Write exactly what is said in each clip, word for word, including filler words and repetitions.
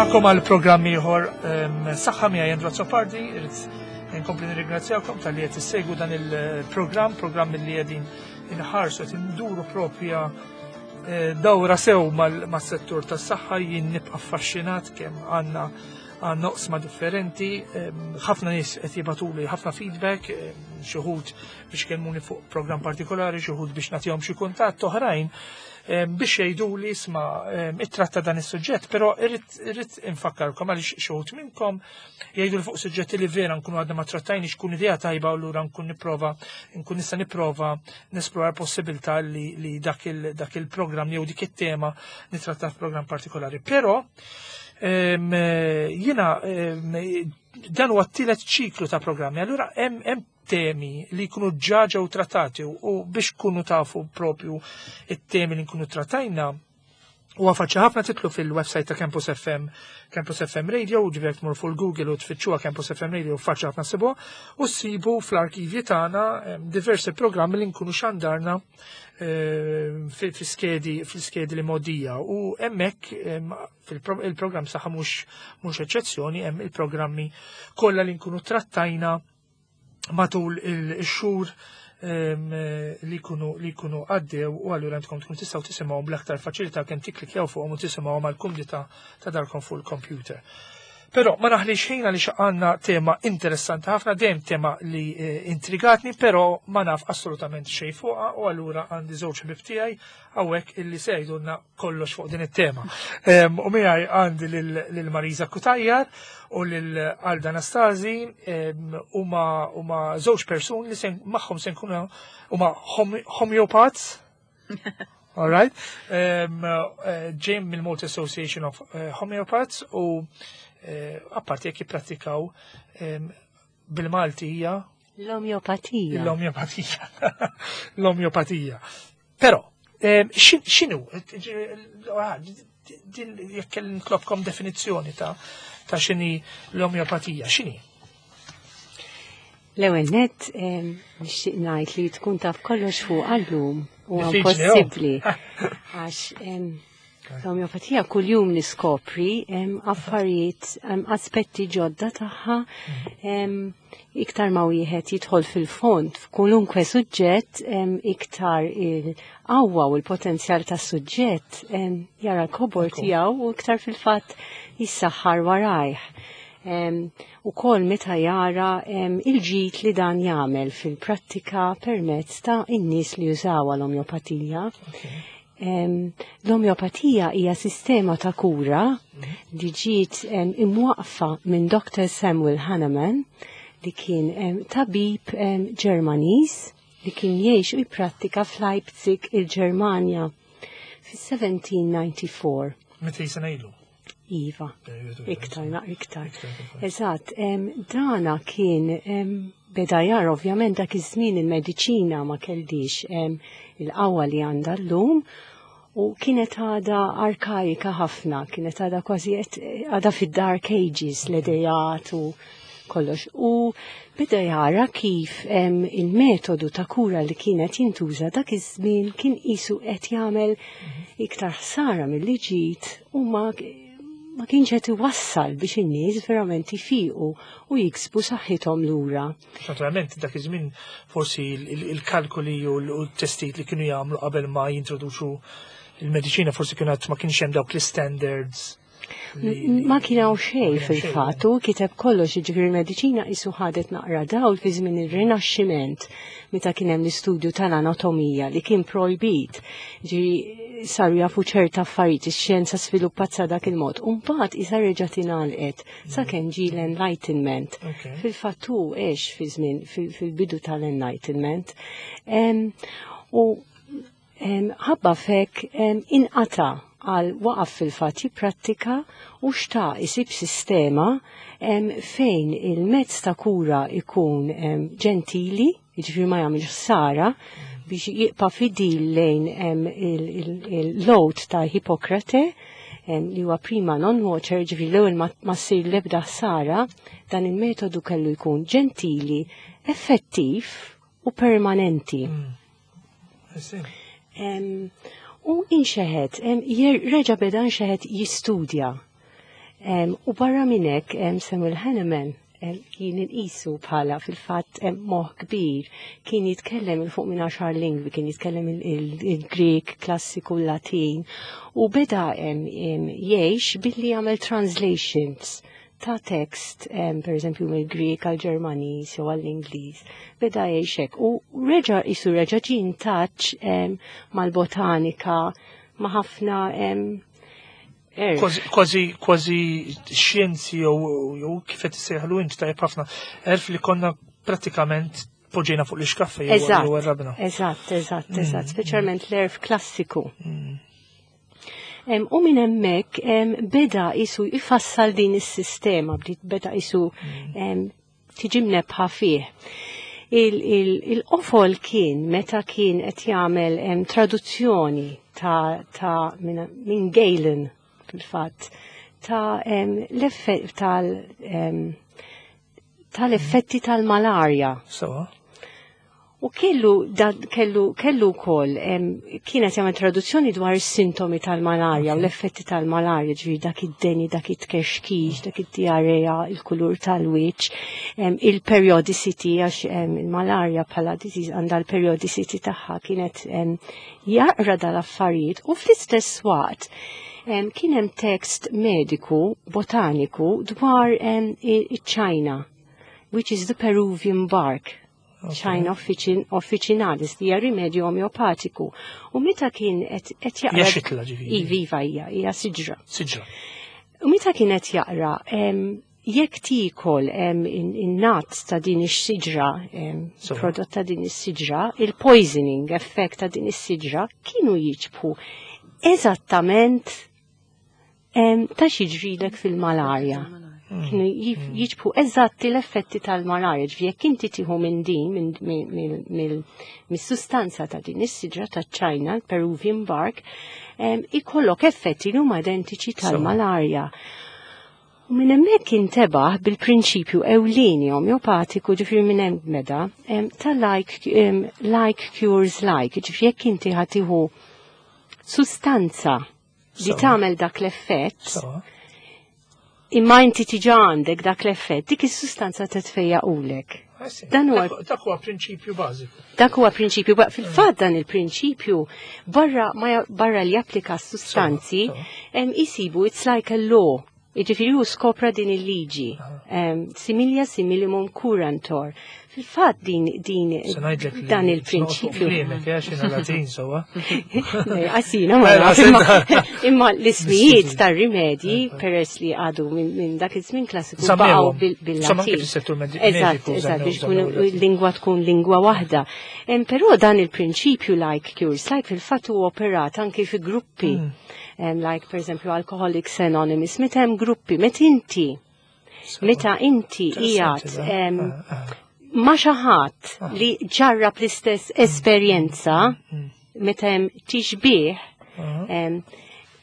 Nilqagħkom għal programm ieħor Saħħa miegħi Andrew Azzopardi, irrid nkompli nirringrazzjakom talli qed issegwu dan il-programm, programm li qegħdin inħarsu qed induru propja eh, dawra sew mas-settur tas-saħħa. Jien nibqa' affaxxinat kemm għandna għandna oqsma differenti, ħafna nies qed jibagħtuli ħafna feedback, xi wħud biex kellmuni fuq programm partikolari, xi wħud biex nagħtihom xi kuntatt, oħrajn biex jgħiduli, "Isma', ittratta dan is-suġġett", però irrid infakkarkom għaliex xi wħud minnkom jgħidu li fuq suġġetti li vera nkunu għadna ma trattajniex kun idea tajba u allura nkun nipprova nkun nista' nipprova nesplora possibilità li, li dak il-programm jew dik it-tema nitratta f'programm partikolari. Però jiena dan huwa t-tielet ċiklu ta' programmi, allura hemm temi li jkunu ġa ġew trattati u biex kunu tafu propju it-temi li nkunu trattajna u faċli ħafna titilgħu fil-website ta' Campus F M, Campus F M Radio, ġifieri tmur fuq Google u tfittxuha Campus F M Radio, faċli ħafna ssibu, u ssibu fl-arkivji tagħna diversi programmi li nkunu xandarna fil-skedi fil-skedi li modija u hemmhekk fil-programm Saħħa mhux mhux eċċezzjoni, hemm il-programmi kollha li nkunu trattajna matul il-xhur li kunu li kunu għaddew u allura għandkom tkun tistgħu tisimgħu bl-aktar faċilità kemm tikklikjaw fuqhom u tisimgħu mal-kumdità ta' darkom fuq il-computer. Però ma naħlix ħin għaliex għandna tema interessanti ħafna, dejjem tema li eh, intrigatni, però ma naf assolutament xejn fuqha u allura għandi żewġ ħbieb tiegħi hawnhekk illi se jgħidulna kollox fuq din it-tema. U miegħi għandi lil Marisa Cutajar u lil Alda Anastasi, huma huma żewġ persuni li magħhom se nkunu huma homeopaths. All right. Um, uh, ġejjin mill-Malta Association of uh, Homeopaths u uh, apparti jekk jippratikaw um, bil-Malti hija L-omjopatija. L-omjopatija. L-omjopatija. Però, um, x'inhu? Jekk nitlobkom definizzjoni ta' ta' x'inhi l-omjopatija, x'inhi? L-ewwel net nixtieq ngħid li tkun taf kollox fuq għallum huwa impossibbli. Għax l-omjopatija kuljum niskopri affarijiet, aspetti ġodda tagħha, iktar ma wieħed jidħol fil-fond f'kwalunkwe suġġett, iktar il-qawwa u l-potenzjal tas-suġġett jara l-kobor tiegħu u iktar fil-fatt jissaħħar warajh. U kol meta jara il-ġid li dan jagħmel fil-prattika permezz ta' in-nies li jużaw l-omjopatija. L-omjopatija hija sistema ta' kura li ġiet imwaqfa minn Doctor Samuel Hahnemann li kien tabib Ġermaniż li kien jgħix u jipprattika f'Leipzig, il-Ġermanja, fis-elf seba' mija u disgħa u disgħin. Mitejn sena ilu. Iva, iktar, na, iktar. Eżatt, dana kien beda jara ovvjament dak iż-żmien il-mediċina ma kellix il-qawwa li għandha llum u kienet għada arkaika ħafna, kienet għada kważi għada fid-dark ages l-idejat u kollox. U beda jara kif il-metodu ta' kura li kienet jintuża dak iż-żmien kien qisu qed jagħmel iktar ħsara milli ġid u ma ma kienx qed iwassal biex in-nies verament ifiqu u jiksbu saħħithom lura. Naturalment dak iż-żmien forsi il-kalkoli u l-testijiet li kienu jagħmlu qabel ma jintroduċu il-mediċina forsi kienu ma kienx hemm dawk l-standards. Ma kien hawn xejn fil-fatt, u kiteb kollox, jiġifieri il-mediċina qisu ħadet naqra dawl fi żmien ir-Rinaxximent meta kien hemm l-istudju tal-anatomija li kien projbit. Ġifieri saru jafu ċerta affarijiet, ix-xjenza sviluppat sa dak il-mod. U mbagħad isa reġa' tingħalqet sakemm ġie l-Enlightenment. Fil-fatt hu għex fi żmien fil-bidu tal-Enlightenment. U ħabba fek inqata' għal waqaf fil-fatt jipprattika u xtaq isib sistema fejn il-mezz ta' kura ikun ġentili, jiġifieri ma jagħmilx ħsara, biex jibqa' fidil lejn l-oath ta' Hippokrate li huwa prima non nocere, ġifieri l-ewwel ma ssir l-ebda ħsara, dan il-metodu kellu jkun ġentili, effettiv u permanenti. Mm. U inxeħet, reġa beda nxeħet jistudja. Em, U barra minn hekk em, Samuel Hahnemann em, kien inqisu bħala fil-fatt em, moħ kbir, kien jitkellem 'il fuq minn għaxar lingwi, kien jitkellem il-Grek, klassiku, Latin, u beda em, em, jgħix billi jagħmel translations ta' tekst, em, per eżempju mill-Grek għal-Ġermaniż jew għall-Ingliż, beda jgħix hekk. U reġa' isu reġa' ġie in touch em, mal-botanika, ma' ħafna em, għerf. Kważi, kważi, kważi xjenzi jew jew kif qed issejħlu int tajjeb ħafna, għerf li konna prattikament poġġejna fuq l-iskaffa jew Eżatt, jew warrabna. eżatt, eżatt, eżatt, speċjalment l-għerf klassiku. Em, U minn hemmhekk em, beda isu jfassal din is-sistema, bdiet beda isu em, tiġi mnebbħa fih. Il-qofol kien meta kien qed jagħmel em, traduzzjoni ta', ta minn min Galen fil-fatt ta' em, l-effett tal em, tal-effetti tal-malarja. Sewa. U kellu, da, kellu, kellu wkoll, em, kienet jagħmel traduzzjoni dwar is-sintomi tal-malarja u l-effetti tal-malarja, ġifieri dak id-deni, dak it-tkexkix, dak id-diarrea, il-kulur tal-wiċċ, em, il-periodicity, għax em, il-malarja bħala disease għandha l-periodicity tagħha kienet em, jaqra dal-affarijiet u fl-istess waqt em, kien hemm tekst mediku, botaniku dwar em, iċ-China, which is the Peruvian bark. China officin, officinalis li hija rimedju omeopatiku. U meta kien qed qed jaqra. Hija xitla ġifieri. Iva, iva, hija, hija siġra. Siġra. U meta kien qed jaqra, em, jekk tikol em, in-nuts ta' din ix-siġra, em, So. prodott ta' din is-siġra, il-poisoning effect ta' din is-siġra kienu jiġbħu eżattament em, ta' x'jiġrilek fil-malarja. Kienu jif- jiġbħu eżatti l-effetti tal-malarja, ġifieri jekk inti tieħu minn din, minn minn- minn- mis-sustanza ta' din is-siġra ta' China, Peruvian bark, em, ikollok effetti li huma identiċi tal-malarja. U minn hemmhekk intebaħ bil-prinċipju ewlieni omeopatiku ġifieri minn hemm meda em, ta' like, em, like cures like, ġifieri jekk inti ħa tieħu sustanza li Sewa. tagħmel dak l-effett, Sewa. imma inti tiġa għandek dak l-effett, dik is-sustanza titfejjaqulek. Ah, sì. Dan huwa Dak- Dak huwa prinċipju bażiku. Dak huwa prinċipju, ba- fil-fatt dan il-prinċipju barra ma ja- barra li japplika s-sustanzi, Sewa, sewa. em, isibu it's like a law. Jiġifieri hu skopra din il-liġi. Em, Similia similimum curantur. Fil-fatt din din Se ngħidlek li dan il-prinċipju. Kliemek, eh, xina Latin sewa. Għasina, ma naf, imma- imma l-ismijiet tar-rimedji peress li għadu minn min dak iż-żmien klassiku baqgħu Żammewhom. bil- Insomma, anke bil-Latin. fis-settur medi- Eżatt, mediku eżatt, żammew- biex żammew tkun il-Latin. lingwa tkun lingwa waħda. Em, Però dan il-prinċipju like cures like fil-fatt hu operat anki fi gruppi. Mm. Em, Like per eżempju Alcoholics Anonymous, meta hemm gruppi, meta inti, meta inti Interessanti qiegħed da. em, Ah, ah. ma xi ħadd li ġarrab l-istess esperjenza meta hemm tixbih Ah. um,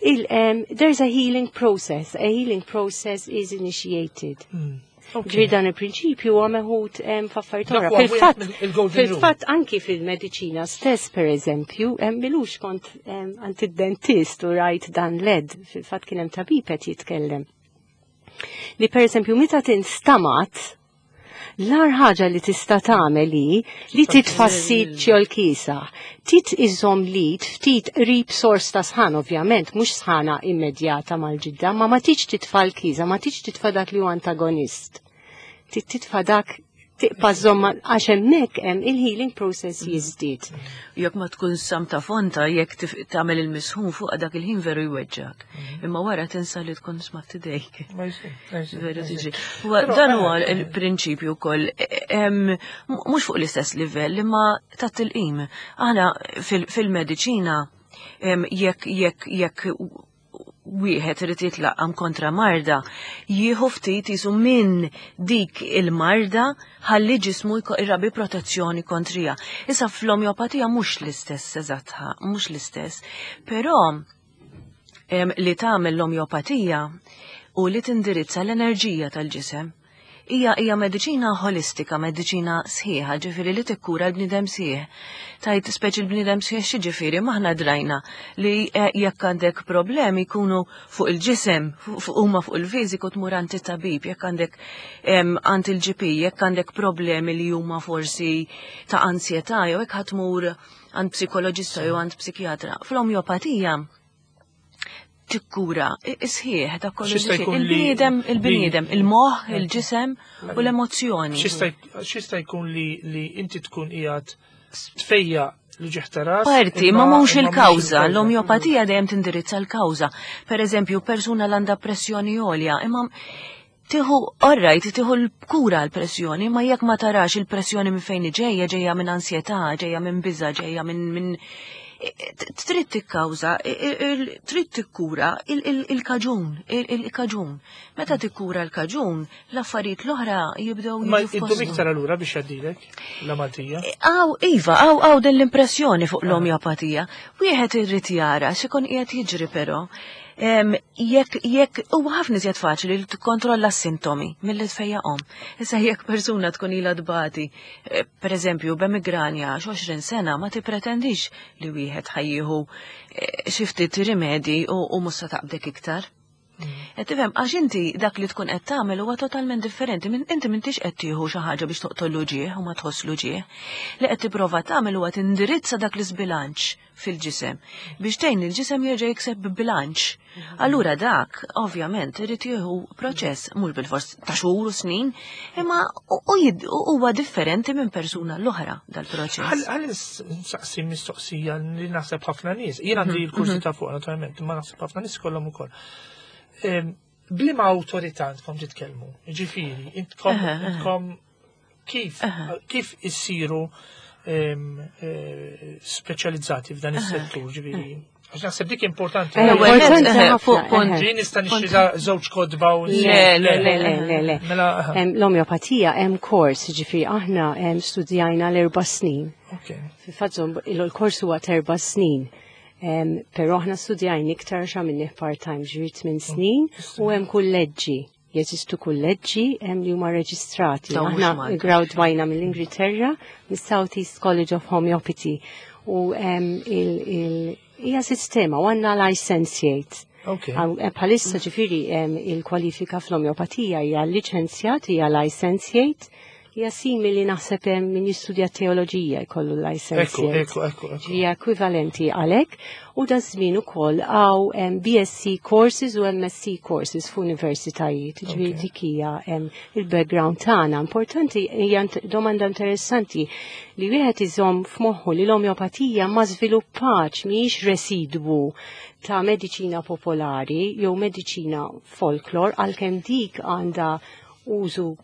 il, um, there's a healing process. A healing process is initiated. Mm. Okay. Ġifieri dan il-prinċipju huwa meħud um, f'affarijiet Dak oħra. huwa Fil-fatt, wieħed mill-golden rule. fil-fatt anki fil-mediċina stess, per eżempju, um, m'ilux kont um, għand id-dentist u rajt dan l-ad, fil-fatt kien hemm tabib qed jitkellem. Li per eżempju meta tinstamat, l-agħar ħaġa li tista' tagħmel hi li titfa' s-sit ġol-kiesaħ. Tit iżomm l-id ftit qrib sors ta' sħan ovvjament, mhux sħana immedjata mal-ġilda, ma ma tiġ titfa' l-kiesaħ, ma tiġ titfa' dak li huwa antagonist. Tit titfa' dak tibqa' żomm għax hemmhekk hemm il-healing process jiżdied. Jekk ma tkun samta fonta, jekk tif- tagħmel il-misħun fuq dak il-ħin veru jweġġak. Imma wara tinsa li tkun smatt idejk. Ma jsir, ma jsir, Veru ma jsir. tiġi. Huwa- Però, Dan eh, huwa il-prinċipju wkoll em, mhux fuq l-istess livell imma ta' tilqim. Aħna fil- fil-mediċina em, jekk jekk jekk wieħed irid jitlaqqam kontra marda, jieħu ftit jisu minn dik il-marda ħalli ġismu jko- irrabi protezzjoni kontrija. Issa fl-omjopatija mhux l-istess eżatt, mhux l-istess, però em, li tagħmel l-omjopatija u li tindirizza l-enerġija tal-ġisem. Hija hija mediċina holistika, mediċina sħiħa, ġifieri li tikkura l-bniedem sħiħ. Tajt speċi l-bniedem sħiħ xi ġifieri maħna drajna li eh, jekk għandek problemi jkunu fuq il-ġisem, fuq huma fuq il-fiżiku tmur għand it-tabib, jekk għandek għand il-G P, jekk għandek problemi li huma forsi ta' ansjetà jew hekk ħa tmur għand psikoloġista jew għand psikjatra. Fl-omjopatija tikkura sħiħ ta' kollu il-bniedem, il-bniedem, il-moħ, il-ġisem u l-emozzjoni. Xista jkun li li inti tkun qiegħed tfejjaq l-uġigħ ta' ras. Parti, ma mhux il-kawża, l-omjopatija dejjem tindirizza l-kawża. Per eżempju, persuna l għandha pressjoni għolja, imma tieħu, alright, tieħu l-kura l-pressjoni, ma jekk ma tarax il-pressjoni minn fejn ġejja, ġejja minn ansjetà, ġejja minn biża, ġejja minn minn trid tikkawża, trid tikkura il-kaġun, il-kaġun. Meta tikkura l-kaġun, l-affarijiet l-oħra jibdew. Ma iddum iktar allura biex jgħaddilek l-Maltija? Aw, iva, aw, aw din l-impressjoni fuq l-omjopatija. Wieħed irrid jara x'ikun qiegħed jiġri però. Jekk jekk huwa ħafna iżjed faċli li tikkontrolla s-sintomi milli tfejjaqhom. Issa jekk persuna tkun ilha tbati, eh, pereżempju b'emigranja għoxrin sena, ma tippretendix li wieħed ħa jieħu eh, xi ftit rimedi u mhux se taqbdek iktar. Qed tifhem, għax inti dak li tkun qed tagħmel huwa totalment differenti minn inti m'intix qed tieħu xi ħaġa biex toqtol l-uġigħ u ma tħoss l-uġigħ. Li qed tipprova tagħmel huwa tindirizza dak l-isbilanċ fil-ġisem biex tgħin il-ġisem jerġa' jikseb bilanċ. Allura dak, ovvjament, irid jieħu proċess mhux bil-fors ta' xhur u snin, imma huwa differenti minn persuna l-oħra dal-proċess. Ħalli nsaqsi mistoqsija li naħseb ħafna nies. Jien għandi mhm, l-kursi mhm. ta' fuq naturalment, imma naħseb ħafna nies kollhom ukoll. B'liema awtorità intkom titkellmu? Ġifieri, intkom intkom kif kif issiru eh, speċjalizzati f'dan is-settur, ġifieri? Għax naħseb dik importanti. Importanti ħafna. Jien nista' nixtri żewġ kotba u Le, le, le, le, le. Mela, L-omjopatija hemm kors, ġifieri aħna studjajna l-erba' snin. Fil-fatt il-kors huwa erba' snin. Però aħna studjajna iktar x'għamilni part-time, ġifieri tmien snin u hemm kulleġġi. Jeżistu kulleġġi hemm li huma reġistrati. Aħna gradwajna mill-Ingilterra, mis-South East College of Homeopathy. U hija sistema u għandna licentiate. Bħalissa ġifieri il-kwalifika fl-omjopatija hija liċenzjat, hija licentiate, hija simili naħseb hemm min jistudja teoloġija jkollu licentiate. Ekku, ekku, ekku. Hija ekwivalenti għalhekk u da żmien ukoll hawn B S C courses u M S C courses f'universitajiet. Ġifieri dik hija il-background tagħna. Importanti, hija domanda interessanti li wieħed iżomm f'moħħu li l-omjopatija ma żviluppax, mhijiex residwu ta' mediċina popolari jew mediċina folklor, għalkemm dik għandha użu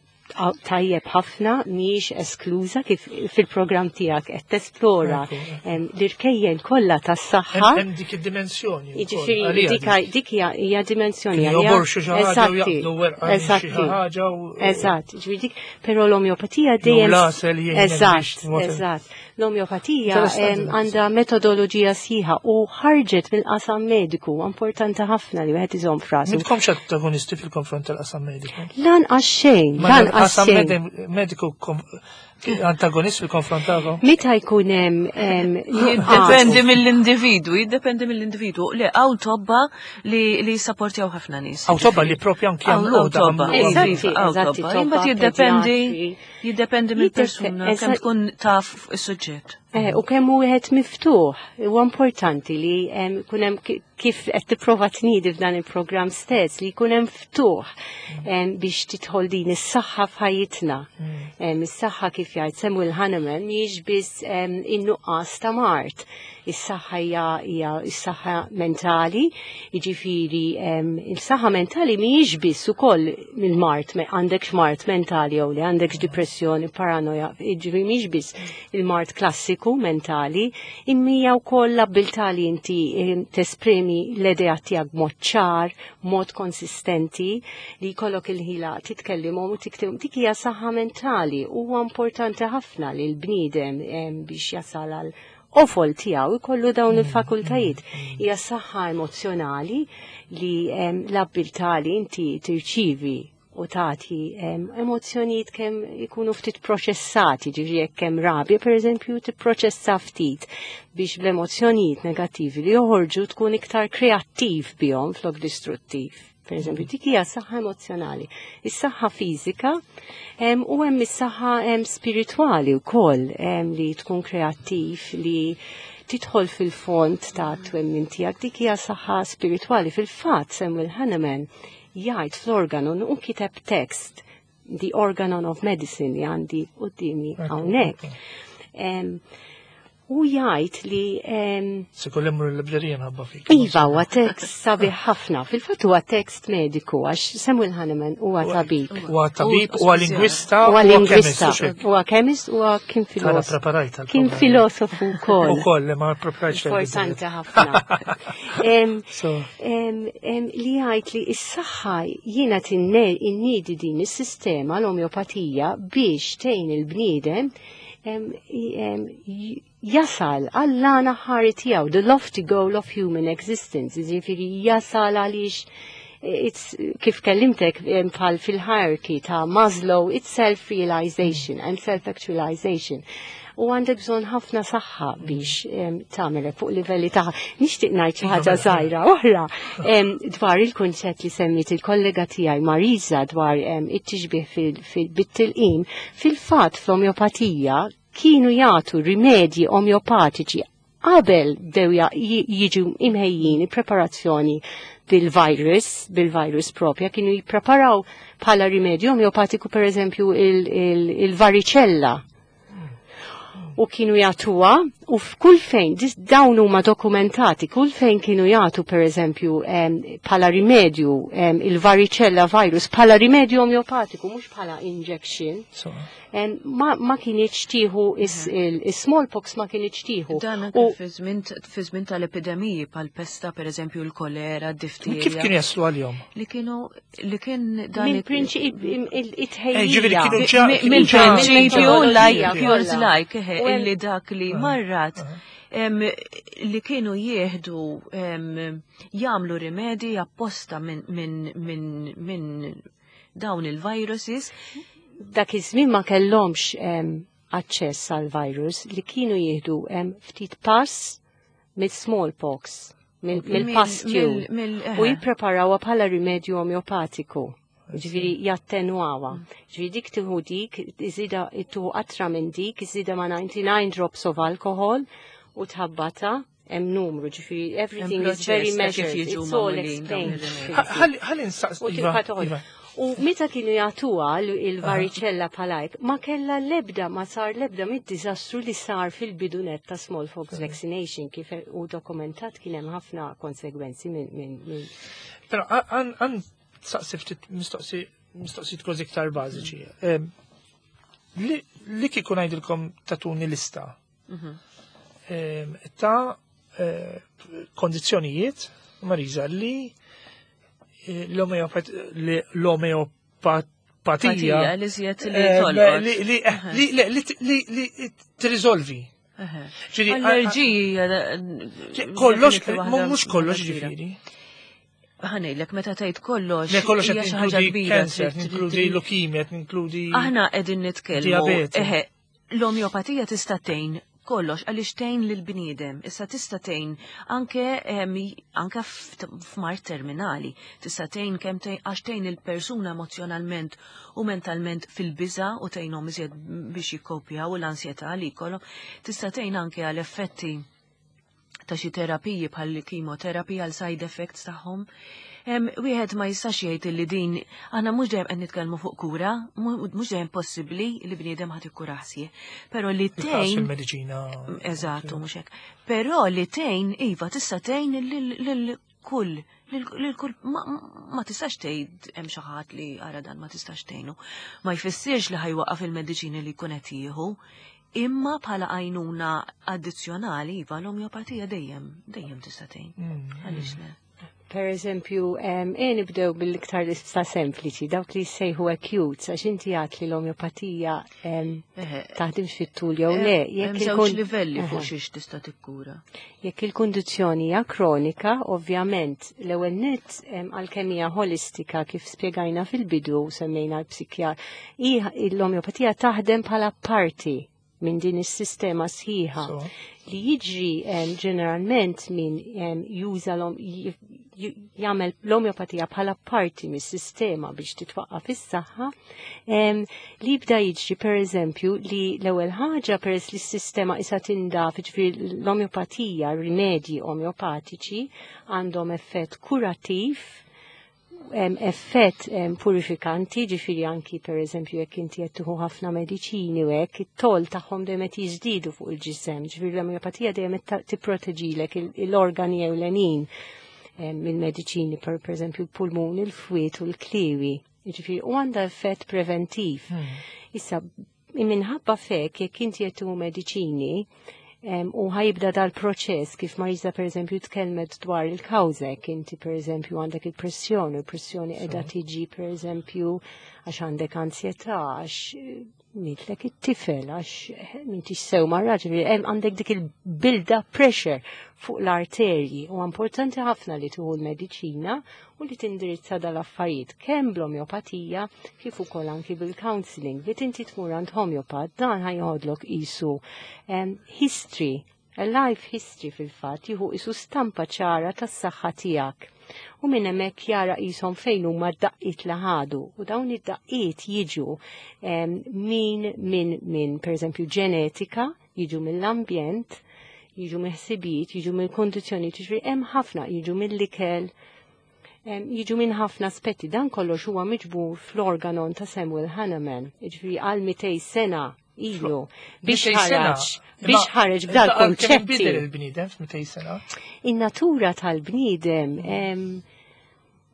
tajjeb ħafna, mhijiex eskluża kif fil-programm tiegħek qed tesplora l-irkejjen kollha tas-saħħa. Hemm dik id-dimensjoni. Jiġifieri dik hija dimensjoni. Joborxu xi ħaġa u jaqbdu werqa xi ħaġa u Eżatt, ġifieri dik, però l-omjopatija dejjem. Eżatt, eżatt. L-omjopatija għandha metodoloġija sħiħa u ħarġet mill-qasam mediku, importanti ħafna li wieħed iżomm f'rasu. M'intkomx antagonisti fil-konfront tal-qasam mediku? Lanqas xejn, lanqas xejn. Mediku antagonist fil-konfront tagħkom? Meta jkun hemm Jiddependi mill-individu, jiddependi mill-individu. Le, hawn tobba li li jissapportjaw ħafna nies. Hawn tobba li propju anki jagħmlu. Tobba. Eżatti, eżatti. Imbagħad jiddependi jiddependi mill-persuna kemm tkun taf is-suġġett. Eh, u kemm wieħed miftuħ. Huwa importanti li jkun hemm, kif qed tipprova tniedi f'dan il-programm stess, li jkun hemm ftuħ biex tidħol din is-saħħa f'ħajjitna. Mm. Is-saħħa, kif jgħid Samuel Hahnemann, mhijiex biss in-nuqqas ta' mard. Is-saħħa hija s-saħħa mentali, jiġifieri il-saħħa mentali mhijiex biss ukoll mill-mard, għandek mard mentali jew li għandek depressjoni, paranoja, jiġifieri mhijiex biss il-mard klassiku mentali, imma hija wkoll l-abbiltà li inti tesprimi l-idea tiegħek b'mod ċar, mod konsistenti, li jkollok il-ħila titkellimhom u tiktibhom. Dik hija saħħa mentali. Huwa importanti ħafna li l-bniedem biex jasal għal qofol tiegħu jkollu dawn il-fakultajiet. Hija saħħa emozzjonali li l-abbiltà li inti tirċivi u tagħti emozzjonijiet kemm ikunu ftit proċessati, ġifieri jekk hemm rabja pereżempju tipproċessa ftit biex bl-emozzjonijiet negattivi li joħorġu tkun iktar kreattiv bihom flok distruttiv. Per eżempju, dik hija saħħa emozjonali. Is-saħħa fiżika u hemm is-saħħa spiritwali wkoll li tkun kreattiv, li tidħol fil-fond ta' twemmin tiegħek, dik hija saħħa spiritwali. Fil-fatt Samuel Hahnemann jgħid fl-Organon u kiteb tekst, The Organon of Medicine, li għandi quddiemi hawnhekk. U jgħid li Se kollu mmur l-librerija nħabba fik. Iva, huwa tekst sabiħ ħafna. Fil-fatt huwa tekst mediku għax Samuel Hahnemann huwa tabib. Huwa tabib, huwa lingwista, huwa lingwista, huwa chemist, huwa kien filosofu. Kien filosofu wkoll. Ukoll, ma preparajt. Importanti ħafna. Li jgħid li s-saħħa jiena tinniedi din is-sistema l-omeopatija biex tgħin il-bniedem jasal għall-għan aħħari tiegħu, the lofty goal of human existence, ġifieri jasal għaliex it's kif kellimtek bħal fil-hierarchy ta' Maslow, it's self-realization and self-actualization. U għandek bżonn ħafna saħħa biex tagħmel fuq livelli ta' nixtieq ngħid xi ħaġa żgħira oħra dwar il-kunċett li semmit il-kollega tiegħi Marisa dwar it-tixbih bit-tilqim. Fil-fatt fl-omeopatija kienu jagħtu rimedji omeopatiċi qabel bdew jiġu imħejjin preparazzjoni bil-virus, bil-virus propja, kienu jippreparaw bħala rimedju omeopatiku per eżempju il-varicella. U kienu jagħtuha u f'kull fejn, dawn huma dokumentati, kull fejn kienu jagħtu per eżempju bħala rimedju il-varicella virus, bħala rimedju omeopatiku, mhux bħala injection. Ma, ma kinitx tieħu is-smallpox, ma kinitx tieħu. Dan anke fi żmien tal-epidemiji bħal pesta, per eżempju l-kolera, d-difterija. Kif kienu jaslu għalihom? Li kienu li kien dan Mill-prinċipju it-tħejjija. Mill-prinċipju like cures like, illi dak li marrat li kienu jieħdu jagħmlu rimedi apposta minn dawn il-viruses. Dak iż-żmien ma kellhomx aċċess għal virus, li kienu jieħdu ftit pus mill-smallpox, mill-pustule, u jippreparawha bħala rimedju omeopatiku. Ġifieri jattenwawa. Ġifieri dik tieħu dik, iżida tieħu qatra minn dik, iżida ma' ninety-nine drops of alcohol u tħabbata, hemm numru, ġifieri everything is very measured, it's all explained. Ħalli nsaqs. Iva. U meta kienu jagħtuha il-varicella palajk, ma kella lebda, ma sar lebda mid-diżastru li sar fil-bidunet ta' smallpox vaccination, kif u dokumentat kien hemm ħafna konsegwenzi minn. Però għan saqsi ftit mistoqsi mistoqsijiet kważi iktar bażiċi. Li kieku ngħidilkom tatuni lista ta' kondizzjonijiet, Marisa, li l-omeopatija li li tirriżolvi. Allerġiji. Kollox, mhux kollox ġifieri. Ħa ngħidlek, meta tgħid kollox. Le, kollox qed ninkludi cancer, ninkludi leukemia, ninkludi. Aħna qegħdin nitkellmu. Eħe, l-omeopatija tista' tgħin kollox għaliex tgħin lill-bniedem. Issa tista' tgħin anke anke f'mard terminali. Tista' tgħin kemm tgħin għax tgħin il-persuna emozjonalment u mentalment fil-biża' u tgħinhom iżjed biex jikkopjaw l-ansjetà li jkollhom. Tista' tgħin anke għal effetti ta' xi terapiji bħal kimoterapija għal side effects tagħhom. Wieħed ma jistax jgħid li din aħna mhux dejjem qed nitkellmu fuq kura, mhux dejjem possibbli li bniedem ħadd ikkura ħsieh. Però li tgħin il-mediċina. Eżattu, mhux hekk. Però li tgħin, iva, tista' tgħin lil kull lil kull ma tistax tgħid hemm xi ħadd li ara dan ma tistax tgħinu. Ma jfissirx li ħajwaqaf il-mediċini li jkun qed jieħu, imma bħala għajnuna addizzjonali, iva, l-omeopatija dejjem, dejjem tista' tgħin. Għaliex le? Per eżempju, e nibdew bil-iktar lista sempliċi, dawk li jsejħu acute, għax inti għat li l-omeopatija taħdimx fit-tul jew le. Hemm żewġ livelli fuq xiex tista' tikkura. Jekk il-kundizzjoni hija kronika, ovvjament, l-ewwel nett għalkemm hija ħolistika kif spjegajna fil-bidu semmejna l-psikjar, l-omeopatija taħdem bħala parti minn din is-sistema sħiħa. Li jiġri ġeneralment min juża jagħmel l-omeopatija bħala parti mis-sistema biex titwaqqaf is-saħħa, li jibda jiġri pereżempju li l-ewwel ħaġa peress li s-sistema issa tindaf, jiġifieri l-omeopatija, rimedji omeopatiċi għandhom effett kurattiv, effett purifikanti, ġifieri anki per eżempju jekk inti qed tieħu ħafna mediċini u hekk, it-toll tagħhom dejjem qed jiżdiedu fuq il-ġisem, ġifieri l-omeopatija dejjem qed tipproteġilek l-organi ewlenin mill-mediċini, per eżempju l-pulmun, il-fwiet u l-kliwi. Ġifieri u għandha effett preventiv. Issa minħabba fek jekk inti qed tieħu mediċini u ħajibda dal-proċess kif Marisa per eżempju tkellmet dwar il-kawża, inti per eżempju għandek il-pressjoni, il-pressjoni qiegħda tiġi per eżempju għax għandek ansjetà, għax mitlek it-tifel, għax m'intix sew mar-raġel, għandek dik il-build-up pressure fuq l-arterji. U importanti ħafna li tieħu l-mediċina u li tindirizza dal-affarijiet kemm bl-omeopatija kif ukoll anki bil-counseling. Li tinti tmur għand homeopat dan ħajħodlok isu history, a life history fil-fatt, jieħu isu stampa ċara tas-saħħa tiegħek. U minn hemmhekk jara qishom fejn huma d-daqqiet li ħadu. U dawn id-daqqiet jiġu min min min pereżempju ġenetika, jiġu mill-ambjent, jiġu mill-ħsibijiet, jiġu mill-kondizzjoni, jiġifieri hemm ħafna, jiġu mill-ikel, jiġu minn ħafna aspetti. Dan kollox huwa miġbur fl-organon ta' Samuel Hahnemann, jiġifieri għal mitej sena ilu biex ħareġ biex ħareġ b'dal konċetti. Il-bniedem f'mitej sena? In-natura tal-bniedem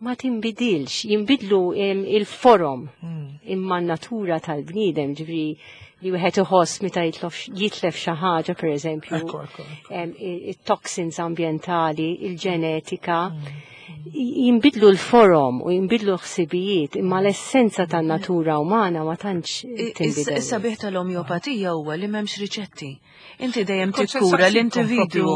ma tinbidilx, jinbidlu il-forom imma n-natura tal-bniedem, ġifieri li wieħed iħoss meta jitlef xi ħaġa pereżempju, it-toxins ambjentali, il-ġenetika, jinbidlu l-forom u jinbidlu l-ħsibijiet, imma l-essenza tan-natura umana ma tantx tinbidel. Is-sabiħ tal-omeopatija huwa li m'hemmx riċetti. Inti dejjem tikkura l-individwu,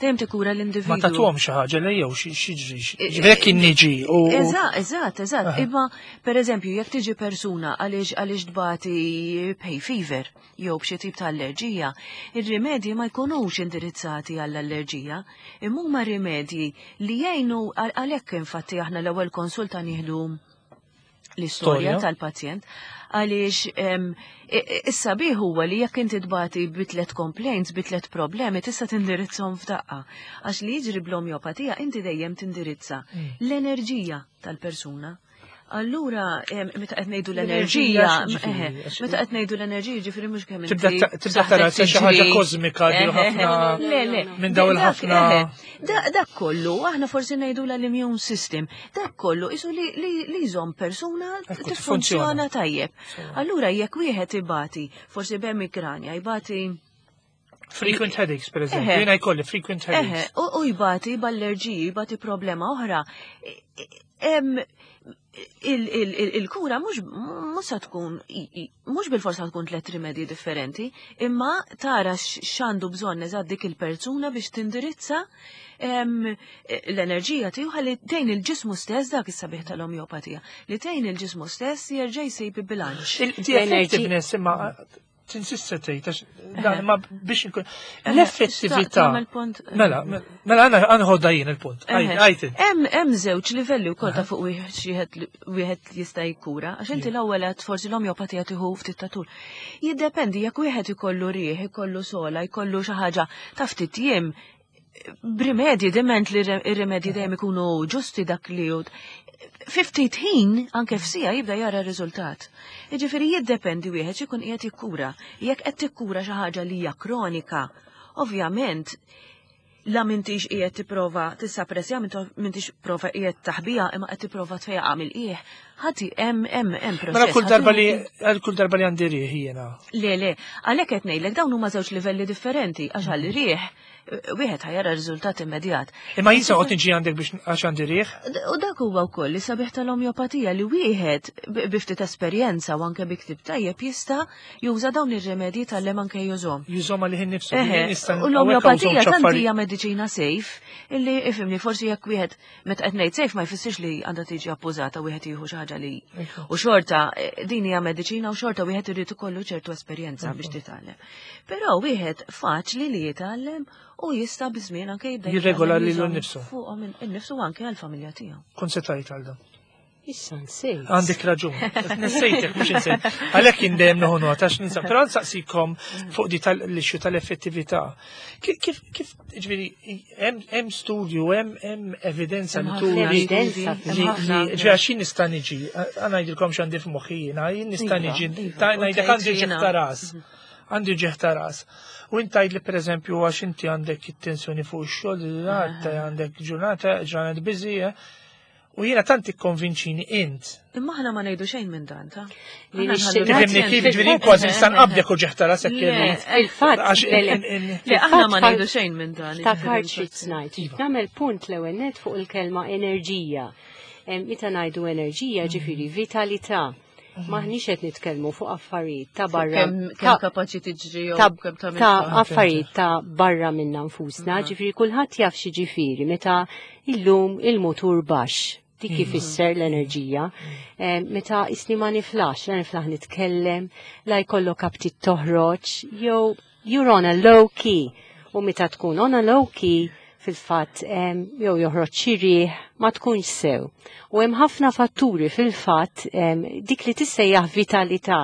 dejjem tikkura l-individwu. Ma tagħtuhom xi ħaġa li jew xi ġri, ġifieri niġi u. Eżatt, eżatt, eżatt. Imma pereżempju jekk tiġi persuna għaliex għaliex tbati hay fever jew b'xi tip ta' allerġija, ir-rimedji ma jkunux indirizzati għall-allerġija, imma huma rimedji li jgħinu. Għalhekk infatti aħna l-ewwel konsulta nieħdu l-istorja tal-pazjent, għaliex is-sabiħ huwa li jekk inti tbati bi tliet complaints, bi tliet problemi, tista' tindirizzhom f'daqqa. Għax li jiġri bl-omeopatija inti dejjem tindirizza l-enerġija tal-persuna. Allura, meta qed ngħidu l-enerġija, meta qed ngħidu l-enerġija, ġifieri mhux kemm inti tibda tara xi ħaġa kosmika di ħafna minn dawn il-ħafna. Dak kollu, aħna forsi ngħidu l-immune system, dak kollu isu li jżomm persuna tiffunzjona tajjeb. Allura jekk wieħed ibati, forsi b'emikranja, jbati frequent headaches, per eżempju, jiena jkolli frequent headaches. U jbati b'allerġiji, jbati problema oħra. Il-kura mhux se tkun, mhux bil-forsa tkun tliet rimedji differenti, imma tara x'għandu bżonn eżatt dik il-persuna biex tindirizza l-enerġija tiegħu ħalli tgħin il-ġismu stess, dak is-sabiħ tal-omeopatija, li tgħin il-ġismu stess jerġa' jsib bilanċ. The effectiveness imma tinsista tgħid dan imma biex inkun l-effettività. Mela, mela għana nħodda jien il-punt. Hemm hemm żewġ livelli wkoll ta' fuq wieħed jista' jikkura, għax inti l-ewwel qed forsi l-omeopatija tieħu ftit ta' tul. Jiddependi jekk wieħed ikollu rieħ, ikollu sola, jkollu xi ħaġa ta' ftit jiem, b'rimedji, diment li r-rimedji dejjem ikunu ġusti dak li hu. Fi ftit ħin, anke f'sija, jibda jara r-riżultat. Jiġifieri jiddependi wieħed x'ikun qiegħed jikkura. Jekk qed tikkura xi ħaġa li hija kronika, ovvjament la m'intix qiegħed tipprova tissappressja, m'intix prova qiegħed taħbija, imma qed tipprova tfejjaqha mill-qiegħ. Ħati hemm hemm hemm proċess. Mela kull darba li kull darba li għandi riħ jiena. Le, le, għalhekk qed ngħidlek dawn huma żewġ livelli differenti għax għal riħ wieħed ħa jara riżultat immedjat. Imma jien se noqgħod niġi għandek biex għax għandi riħ? U dak huwa wkoll li sabiħ tal-omjopatija li wieħed bi ftit esperjenza u anke bi ktieb tajjeb jista' juża dawn ir-remedji tal-lem anke jużhom. Jużhom għalih innifsu. U l-omjopatija tant hija mediċina safe illi ifhimni forsi jekk wieħed meta qed ngħid safe ma jfissirx li għandha tiġi abbużata wieħed jieħu xi ħaġa li. U xorta din hija mediċina u xorta wieħed irid ikollu ċertu esperjenza biex titgħallem. Però wieħed faċli li jitgħallem u jista' biżmien anke jibda jirregola lilu nnifsu. Fuqhom innifsu anke għall-familja tiegħu. Kont se tgħid għal dan. Issa nsejt. Għandek raġun. Nsejtek mhux insejt. Għalhekk jien dejjem nieħu nota għax ninsa. Però nsaqsikom fuq di tal-issue tal-effettività. Kif kif ġifieri hemm studju, hemm evidenza li turi li ġifieri għax jien nista' niġi, ngħidilkom x'għandi f'moħħi jiena, jien nista' niġi ngħidlek għandi ġieħ ta' ras. Għandi ġieħ ta' ras. U inti tgħidli pereżempju għax inti għandek it-tensjoni fuq ix-xogħol, għandek ġurnata, ġranet busy, u jiena tant ikkonvinċini int. Imma aħna ma ngħidu xejn minn dan, ta'. Tifhimni kif ġifieri kważi nista' nqabdek u ġieħ ta' rasek. Il-fatt. Le aħna ma ngħidu xejn minn dan. Ftakart xi ngħid. Nagħmel punt l-ewwel nett fuq il-kelma enerġija. Meta ngħidu enerġija ġifieri vitalità. Maħniex qed nitkellmu fuq affarijiet ta' barra. Kemm kapaċi tiġri jew kemm tagħmel. Ta' affarijiet ta' barra minna nfusna, ġifieri kulħadd jaf xi ġifieri meta illum il-mutur baxx. Dik ifisser l-enerġija. Meta isni ma niflax, la niflaħ nitkellem, la jkollok aptit toħroġ, jew you're on a low key. U meta tkun on a low key, fil-fatt jew joħroġ xi riħ ma tkunx sew. U hemm ħafna fatturi fil-fatt dik li tissejjaħ vitalità.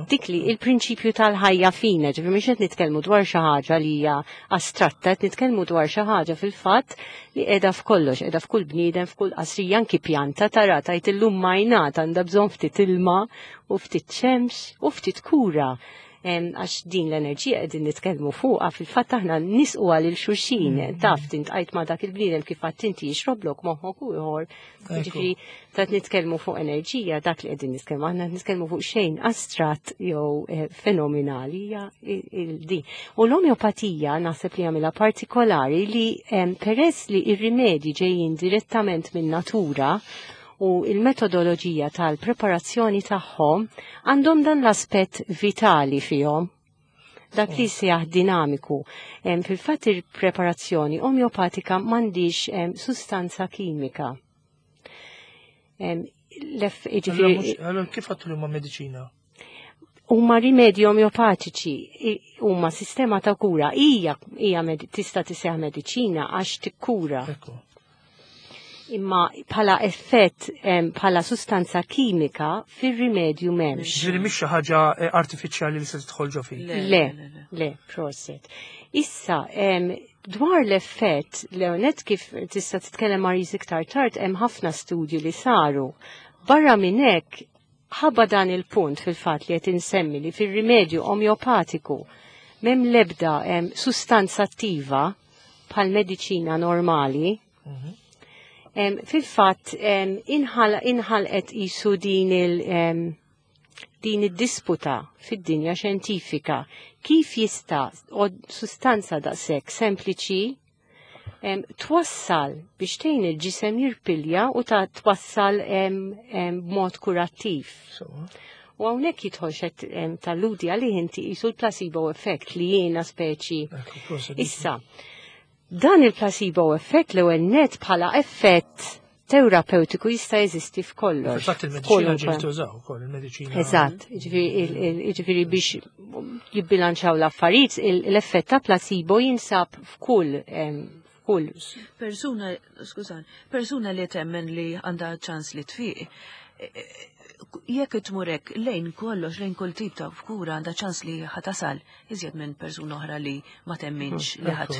Dik li il-prinċipju tal-ħajja fina, ġifieri mhux qed nitkellmu dwar xi ħaġa li hija astratta, qed nitkellmu dwar xi ħaġa fil-fatt li qiegħda f'kollox, qiegħda f'kull bniedem, f'kull qasrija, anki pjanta tara tgħid illum majnat għandha bżonn ftit ilma u ftit xemx u ftit kura. Għax din l-enerġija qegħdin nitkellmu fuqha fil-fatt aħna nisquha lil xulxin, taf tintqajt ma' dak il-bniedem kif għad inti jixroblok moħħok u ieħor. Ġifieri ta' nitkellmu fuq enerġija dak li qegħdin nitkellmu, aħna nitkellmu fuq xejn astratt jew fenomenali hija din. U l-omeopatija naħseb li jagħmilha partikolari li peress li r-rimedji ġejjin direttament minn natura u il-metodoloġija tal-preparazzjoni tagħhom għandhom dan l-aspett vitali fihom. Dak li sejjaħ dinamiku. Fil-fatt il-preparazzjoni omeopatika m'għandix sustanza kimika. Allora kif għattu li huma mediċina? Huma rimedji omeopatiċi, huma sistema ta' kura. Hija tista' tisseħ mediċina għax tikkura. Imma bħala effett, bħala sustanza kimika fir-rimedju m'hemmx. Ġifieri mhix xi ħaġa artifiċjali li se tidħol ġo fik. Le, le, proset. Issa, dwar l-effett, Leonet kif tista' titkellem Maris iktar tard, hemm ħafna studji li saru. Barra minn hekk, ħabba dan il-punt fil-fatt li qed insemmi li fir-rimedju omeopatiku m'hemm l-ebda sustanza attiva bħal mediċina normali. Fil-fatt inħalqet isu din il din id-disputa fid-dinja xjentifika kif jista' sustanza daqshekk sempliċi twassal biex tgħin il-ġisem jirpilja u ta' twassal b'mod kurattiv. U hawnhekk jidħol xed tal-ludi għalih inti qisu l-placebo effect li jiena speċi. Issa, dan il-placebo effect l-ewwel net bħala effett terapeutiku jista' jeżisti f'kollox. Fil-fatt il-mediċina ġieli tużaw ukoll il-mediċina. Eżatt, jiġifieri biex jibbilanċaw l-affarijiet, l-effett ta' placebo jinsab f'kull f'kull. Persuna, skużan, persuna li temmen li għandha ċans li tfiq, jekk tmurek lejn kollox, lejn kull tip ta' kura għandha ċans li ħatasal iżjed minn persuna oħra li ma temminx li ħadd.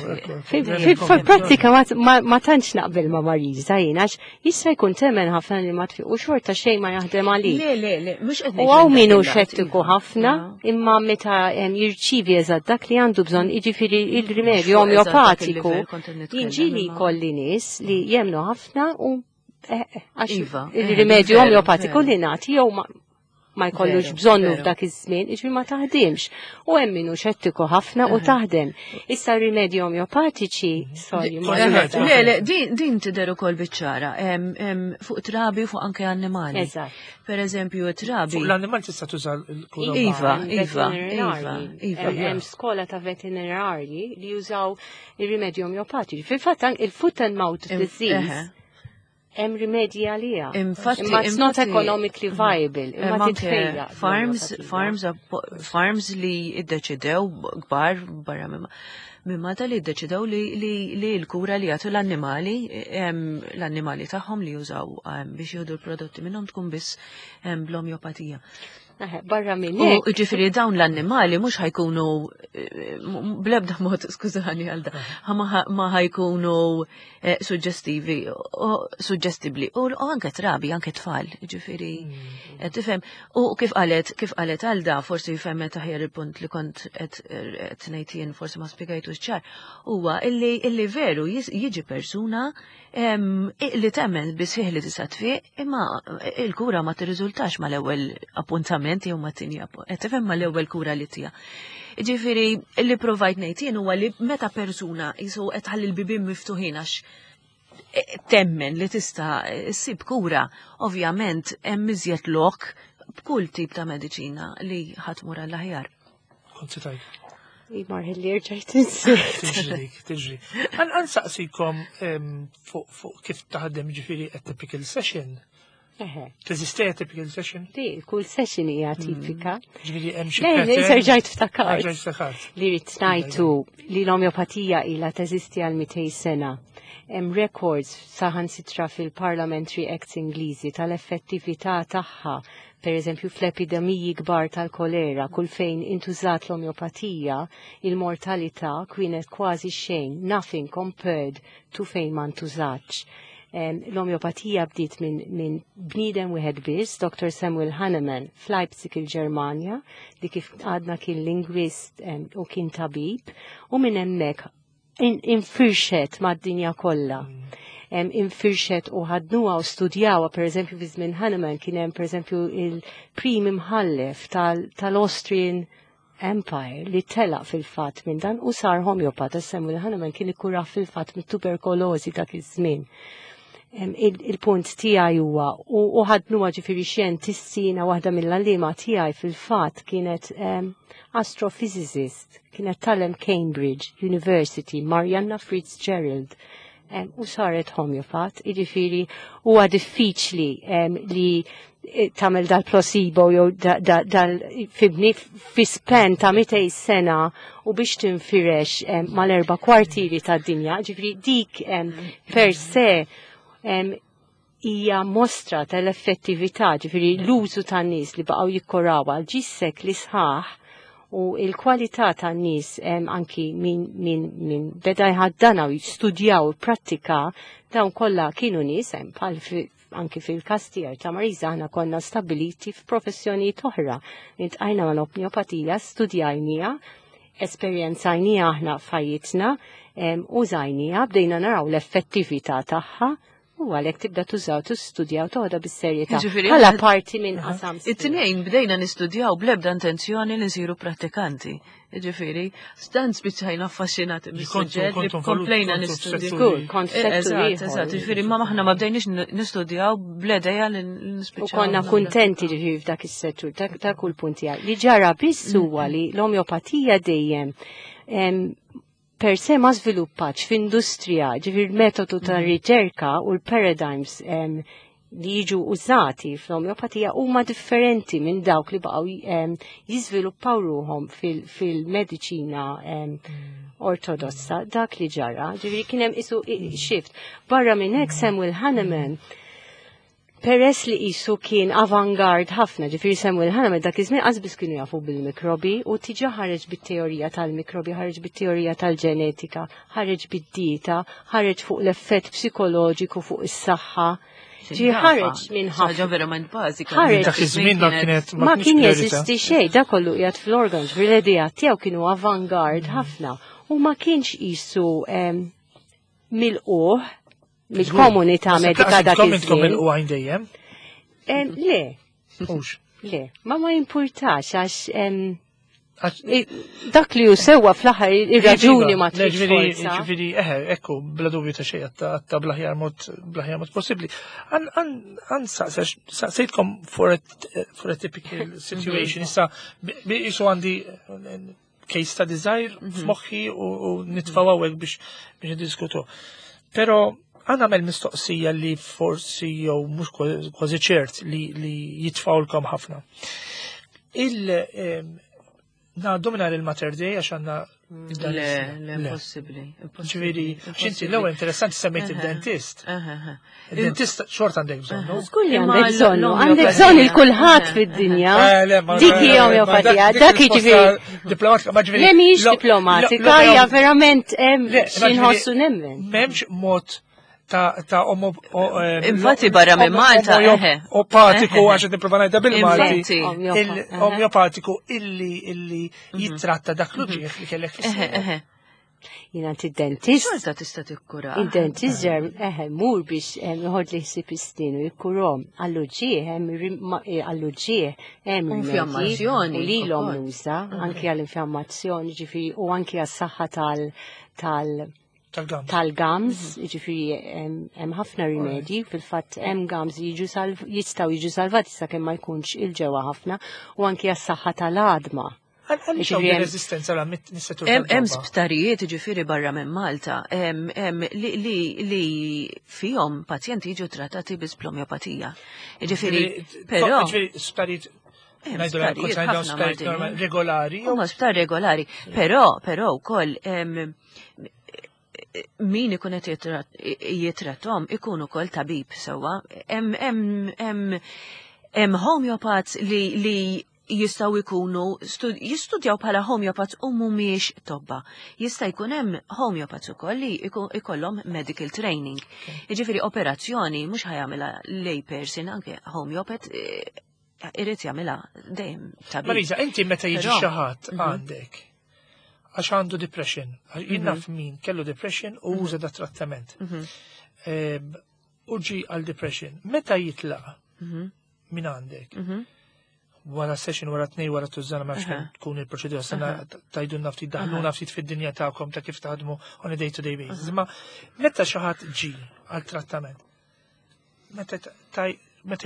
Fil-prattika ma tantx naqbel ma' Marisa jien għax jista' jkun temmen ħafna li ma tfiq u xorta xejn ma jaħdem għalik. Le, le, le, mhux qed U hawn min hu xettiku ħafna, imma meta jirċievi eżatt dak li għandu bżonn, jiġifieri il-rimedju omeopatiku, jien ġieli jkolli nies li jemnu ħafna u Eh, eh, għax Iva, eh, il-rimedju veru, omeopatiku veru. li nagħti jew ma ma jkollux Veru, bżonnu veru. f'dak iż-żmien, jiġifieri ma taħdimx. U hemm min hu xettiku ħafna u taħdem. Issa r-rimedji omeopatiċi, sorry, ma Kont Le, ngħid, le, le, din, din tidher ukoll biċ-ċara, em, em, fuq trabi u fuq anke annimali. Eżatt. Per eżempju, trabi. Fuq l-annimal tista' tuża l-kura. Iva, Hemm iva, veterinarji. iva, iva. Hemm hemm skola ta' veterinarji li jużaw ir-rimedji omeopatiċi. Fil-fatt anke il-foot and mouth Im- disease eħe. hemm rimedji għaliha. Infatti, Imma it's not infatti- economically viable, imma Hemm anke titfejja. Farms, l-omeopatija. farms, appo- farms li iddeċidew kbar barra minn minn Malta li iddeċidew li, li, li l-kura li jagħtu l-annimali, em, l-annimali tagħhom li jużaw em, biex jieħdu l-prodotti minnhom tkun biss em, bl-omeopatija. Eħe, Barra minn U hekk, ġifieri dawn l-annimali mhux ħa jkunu eh, m- blebda mod, skużani għal da, ħa ma ħa- ma ħa jkunu eh, suġġestivi, u suġġestibli, u u anke trabi, anke tfal, ġifieri, qed tifhem. U kif qalet, kif qalet għal da, forsi fehmet aħjar il-punt li kont qed qed ngħid jien, forsi ma spjegajtux ċar, huwa illi illi veru jis- jiġi persuna em, li temmen bisħiħ li tista' tfiq, imma il-kura ma tirriżultax mal-ewwel appuntament jew ma tieni qed tifhem mal-ewwel kura li tija. Ġifieri li provajt ngħid jien huwa li meta persuna jisu qed tħalli l-bibien miftuħin għax temmen li tista' ssib kura, ovvjament hemm iżjed lok b'kull tip ta' mediċina li ħa tmur għall-aħjar. Kont se tgħid. Imar li rġajt insejt. Tiġri dik, tiġri. Għan saqsikom em, fuq fuq kif taħdem ġifieri a typical session. Eħe. Teżisti a typical session? Di, kull session hija tipika. Ġifieri hemm xi Le, le, pattern? rġajt ftakart. Rġajt ftakart. Li rrid ngħidu li l-omeopatija ilha teżisti għal mitejn sena. Hemm records saħansitra fil-Parliamentary Acts Ingliżi tal-effettività tagħha, per eżempju fl-epidemiji kbar tal-kolera, kull fejn intużat l-omeopatija, il-mortalità kienet kważi xejn, nothing compared to fejn ma ntużatx. Em, L-omeopatija bdiet minn min bniedem wieħed biss, Doctor Samuel Hahnemann, f'Leipzig il-Ġermanja, li kif għadna kien lingwist em, u kien tabib, u minn hemmhekk in- infirxet mad-dinja kollha. Em, infirxet u ħadnuha u studjawha, per eżempju, fi żmien Hahnemann kien hemm per eżempju il-prim imħallef tal- tal-Austrian Empire li telaq fil-fatt minn dan u sar homeopat. Samuel Hahnemann kien ikkura fil-fatt mit-tuberkolożi dak iż-żmien. Em, il- Il-punt tiegħi huwa u u ħadnuha ġifieri xjentisti jiena waħda mill-għalliema tiegħi fil-fatt kienet em, astrophysicist, kienet tgħallem Cambridge University, Marianna Fitzgerald. Em, u saret homeopat, jiġifieri huwa diffiċli em, li eh, tagħmel dal-placebo jew da- da- dal fibni fi span ta' mitejn sena u biex tinfirex em, mal-erba kwartieri tad-dinja, ġifieri dik em, per se em, hija mostra tal-effettività, ġifieri l-użu tan-nies li baqgħu jikkoraw għal ġis sekli sħaħ u il-kwalità tan-nies em, anki min, min, min beda jħaddana u jistudjaw u prattika dawn kollha kienu nies hemm bħal fi, anki fil-każ tiegħi ta' Marisa aħna konna stabiliti f'professjonijiet oħra. Iltqajna mal-omeopatija, studjajnija, esperjenzajnija aħna f'ħajjitna, em, użajnija, bdejna naraw l-effettività tagħha u għalhekk tibda tużaw, tistudjaw, toħodha bis-serjetà. Ġifieri, Bħala parti minn qasam. It-tnejn bdejna nistudjaw blebda intenzjoni li nsiru prattikanti. Ġifieri, stan spiċċajna affaxxinati mis-suġġett li kontu komplejna kontu nistudjaw. f'settur Żgur, kont Eh, f'settur Eżatt, ieħor. eżatt, ġifieri, ma maħna ma bdejniex nistudjaw bl-idea li U nispiċċaw. konna kuntenti ġifieri f'dak is-settur, dak dak kull punt tiegħi. Li ġara biss huwa li l-omeopatija dejjem em, per se ma żviluppatx f'industrija, ġifieri l-metodu ta' riċerka u l-paradigms em, li jiġu użati fl-omeopatija huma differenti minn dawk li baqgħu em, jiżviluppaw ruhom fil-mediċina em, ortodossa, dak li ġara, ġifieri kien hemm isu i- shift. Barra minn hekk Samuel Hahnemann peress li isu kien avangard ħafna, ġifieri Samuel Hahnemann dak iż-żmien qas kienu jafu bil-mikrobi u tiġa ħareġ bit-teorija tal-mikrobi, ħareġ bit-teorija tal-ġenetika, ħareġ bid-dieta, ħareġ fuq l-effett psikoloġiku fuq is-saħħa. Ġi ħareġ minn ħaġa ħafna. verament bażika. Ħareġ. Dak iż-żmien dak kienet Ma kienx kien priorità. jeżisti xejn, da kollu qiegħed fl-organs, fil-idea tiegħu kienu avangard ħafna u ma kienx isu em, milquh mill-komunità medika dak iż-żmien. Il dejjem? Le. Le, ma ma jimpurtax għax dak li hu sewwa fl-aħħar ir-raġuni ma tridx forza. Ġifieri, eħe, ekku, bla dubju ta' xejn għatta bl-aħjar mod bl-aħjar mod possibbli. Għan saqsejtkom for a typical situation, issa jisu għandi case study żgħir f'moħħi u nitfgħu hawnhekk biex biex niddiskutu. Però għandna għamel mistoqsija li forsi jew mhux kważi ċert li jitfgħulkom ħafna. Il Ngħaddu minn il-Mater Dei għax għandna Le, le, impossibbli. Ġifieri, xinti l-ewwel interessanti semmejt il-dentist. Il-dentist xort għandek bżonnu. Żgur li għandek bżonnu, għandek bżonn il-kulħadd fid-dinja. Dik hija omeopatija, dak jiġifieri. Diplomatika, ma ġifieri. Le mhijiex diplomatika, hija verament xi nħossu nemmen. M'hemmx mod ta' ta' omo Infatti barra minn Malta, opatiku għax qed nipprova ngħidha bil-Malti. Il-omeopatiku illi illi jittratta dak l-uġieħ li kellek fis Jiena id-dentist. Xorta tista' tikkura. Id-dentist ġer eħe mur biex joħod li ħsieb is-snin u jikkurhom. Għall-uġieħ hemm għall-uġieħ hemm infiammazzjoni u lilhom nuża anki għall-infiammazzjoni ġifieri u anki għas-saħħa tal tal tal-gums, ġifieri hemm ħafna rimedji, fil-fatt hemm gums li jistgħu jiġu salvati sakemm ma jkunx il-ġewwa ħafna u anki għas-saħħa tal-għadma. Għaliex hawn reżistenza għal Hemm sptarijiet ġifieri barra minn Malta li fihom pazjenti jiġu trattati biss bl-omeopatija. Ġifieri, però. Sptarijiet regolari. Huma sptar regolari, però però wkoll min ikun qed jitrattom ikun ukoll tabib sewwa. Hemm homeopaths li li jistgħu jkunu jistudjaw bħala homeopaths u mhumiex tobba. Jista' jkun hemm homeopaths ukoll li ikollhom medical training. Jiġifieri operazzjoni mhux ħa jagħmilha lay person, anke homeopath irid jagħmilha dejjem tabib. Marisa, inti meta jiġi xi ħadd għandek għax għandu depression, jien naf min kellu depression u uża da trattament. U ġi għal depression, meta jitlaq minn għandek? Wara session, wara tnej, wara tużżana, ma nafx tkun il-proċedura, sena tajdunna ftit, daħluna ftit fid-dinja tagħkom ta' kif taħdmu on a day-to-day basis. Ma meta xi ħadd ġi għal trattament, meta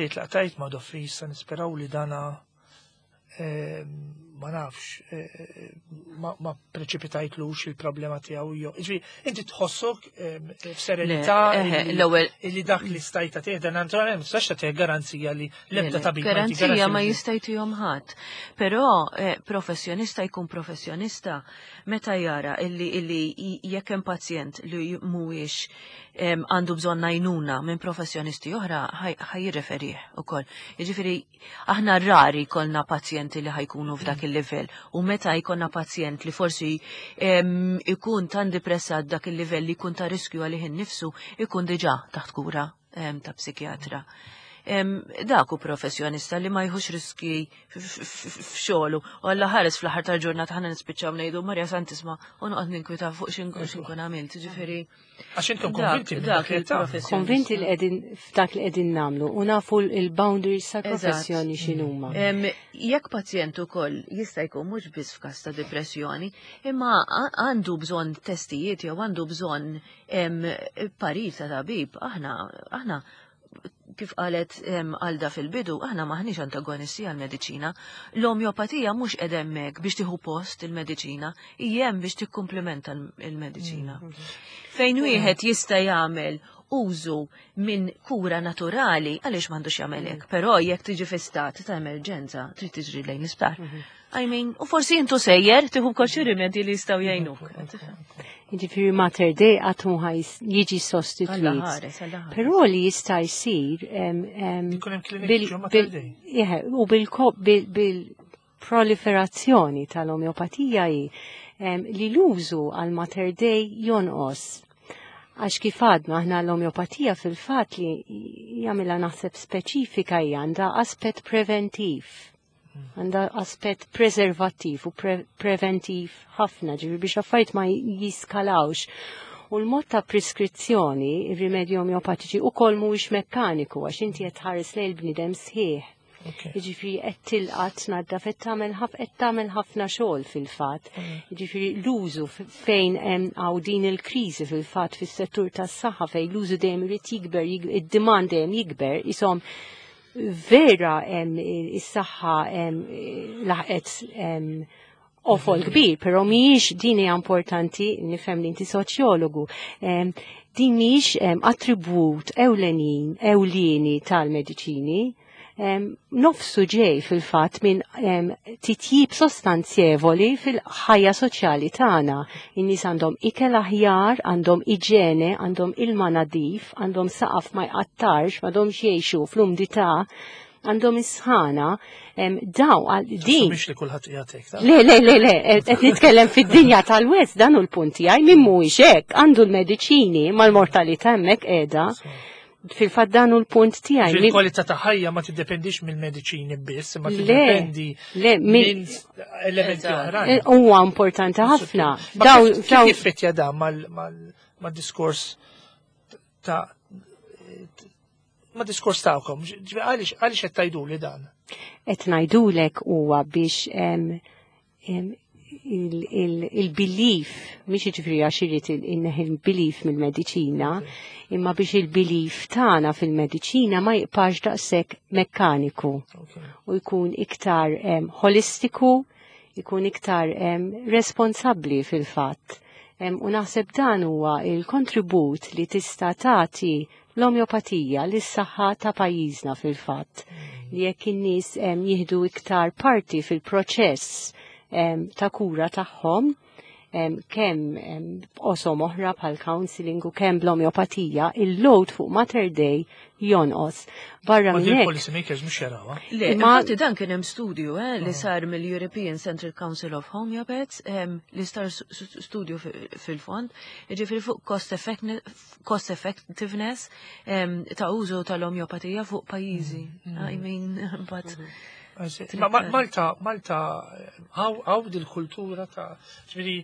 jitlaq tajt ma doffi, issa nisperaw li dana ma nafx, ma preċipitajtlux il-problema tiegħu jew. Ġifieri, inti tħossok f'serenità li dak li stajta tieħda naturalment ma tistax tagħtih garanzija li l-ebda tabib. Garanzija ma jistajtihom ħadd. Però professjonista jkun professjonista meta jara illi jekk hemm pazjent li mhuwiex għandu bżonn għajnuna minn professjonisti oħra ħa jirreferih ukoll. Jiġifieri aħna rari jkollna pazjenti li ħajkunu f'dak il-livell u meta jkollna pazjent li forsi ikun tan depressat dak il-livell li jkun ta' riskju għalih innifsu ikun diġà taħt kura ta' psikjatra. Dak hu professjonista li ma jħux riski f'xogħlu u Alla ħares fl-aħħar tal-ġurnata ħana nispiċċaw ngħidu Marja Santisma u noqgħod ninkwita fuq x'inkun għamilt, ġifieri. Għax intom konvinti dak il-professjonista. Konvinti li qegħdin f'dak li qegħdin nagħmlu u nafu l-boundaries ta' professjoni x'inhuma. Jekk pazjent ukoll jista' jkun mhux biss f'każ ta' depressjoni, imma għandu bżonn testijiet jew għandu bżonn parir ta' tabib, aħna aħna kif qalet Alda fil-bidu, aħna maħniex antagonisti għal-mediċina. L-omeopatija mhux qed hemmhekk biex tieħu post il-mediċina, hija hemm biex tikkumplementa l-mediċina. Fejn wieħed jista' jagħmel użu minn kura naturali, għaliex m'għandux jagħmel hekk, però jekk tiġi fi stat ta' emerġenza, trid tiġri lejn l-isptar. I mean, u forsi intu sejjer tieħu wkoll xi rimedji li jistgħu jgħinuk. Jiġifieri Mater Dei qatt mhu jiġi sostituit. Però li jista' jsir u bil-proliferazzjoni tal-omeopatija hi li l-użu għal Mater Dei jonqos. Għax kif għadna aħna l-omeopatija fil-fatt li jagħmilha naħseb speċifika hija għandha aspett preventiv. Għandha aspett preservattiv u preventiv ħafna, ġifieri biex affarijiet ma jiskalawx. U l-mod ta' preskrizzjoni, ir-rimedji omeopatiċi ukoll mhuwiex mekkaniku għax inti qed tħares lejn il-bniedem sħiħ. Jiġifieri qed tilqat tnaddaf qed tagħmel qed tagħmel ħafna xogħol fil-fatt. Jiġifieri l-użu fejn hemm hawn din il-kriżi fil-fatt fis-settur tas-saħħa fejn l-użu dejjem irid jikber, id-demand dejjem jikber, isom vera is-saħħa laħqet qofol kbir, però mhijiex din hija importanti, nifhem li inti soċjologu, din mhijiex attribut ewlenin, ewlieni tal-mediċini, nofsu ġej fil-fatt minn titjib sostanzjevoli fil-ħajja soċjali tagħna. In-nies għandhom ikel aħjar, għandhom iġene, għandhom ilma nadif, għandhom saqaf ma jqattarx, m'għandhomx jgħixu fl-umdità, għandhom isħana, daw għal din. Mhix li kulħadd qiegħed Le, le, le, le, qed nitkellem fid-dinja tal-West dan hu l-punt tiegħi min mhuwiex hekk, għandu l-mediċini mal-mortalità hemmhekk qiegħda. Fil-fatt dan hu l-punt tiegħi. Il-kwalità ta' ħajja ma tiddependix mill-mediċini biss, ma tiddependi minn elementi oħrajn. Huwa importanti ħafna. Kif jiffettja dan mal-diskors ta' ma' diskors tagħkom, għaliex għaliex qed tgħiduli dan? Qed ngħidulek huwa biex il-belief, mhix jiġifieri għax irid il-belief mill-mediċina, imma biex il-belief tagħna fil-mediċina ma jibqax daqshekk mekkaniku u jkun iktar holistiku, jkun iktar responsabbli fil-fatt. U naħseb dan huwa il-kontribut li tista' tagħti l-omeopatija lis-saħħa ta' pajjiżna fil-fatt. Li jekk in-nies jieħdu iktar parti fil-proċess ta' kura tagħhom, kemm oqsma oħra bħal counseling u kemm bl-omeopatija, il-load fuq Mater Dei jonqos. Barra Ma minn din hekk. Policy makers mhux jarawha. Le, Ma- infatti dan kien hemm studju eh, li sar mill-European Central Council of Homeopaths, em, li sar studju fil-fond, jiġifieri fuq cost cost effectiveness em, ta' użu tal-omeopatija fuq pajjiżi. I mean, but Ma ma- Malta, Malta, hawn dil-kultura ta' ġifieri,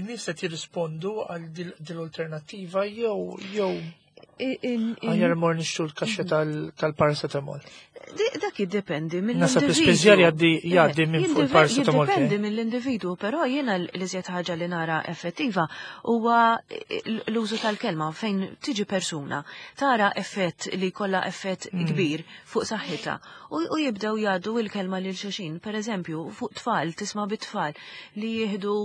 in-nies qed jirrispondu għal dil-alternattiva jew jew aħjar mor nixtru l-kaxxa tal-paracetamol. Dak jiddependi Naħseb mill-individu. l-ispiżjar jgħaddi jgħaddi minn fuq Jiddependi il-paracetamol. Jiddependi mill-individu, però jiena l-iżjed ħaġa li nara effettiva huwa l-użu tal-kelma fejn tiġi persuna tara effett li kollha effett kbir fuq saħħitha u u jibdew jgħaddu il-kelma lil xulxin. Per eżempju, fuq tfal, tisma' bit-tfal li jieħdu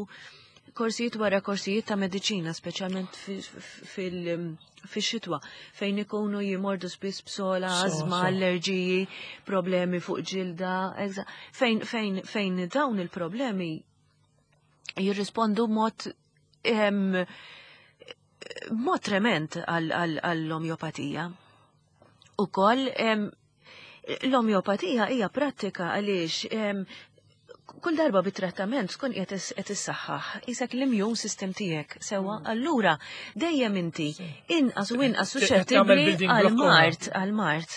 korsijiet wara korsijiet ta' mediċina, speċjalment fil-xitwa, fejn ikunu jimordu spiss b'sola, So, azma, so. allerġiji, problemi fuq ġilda, exa- fejn, fejn, fejn dawn il-problemi jirrispondu mod em, mod trement għall-omjopatija. Ukoll em, l-omjopatija hija prattika għaliex em, kull darba bit-trattament tkun qed qed issaħħaħ isek l-immune system tiegħek sewwa allura dejjem inti inqas u inqas Qed tagħmel suscettibbli building block għal-mard għal-mard.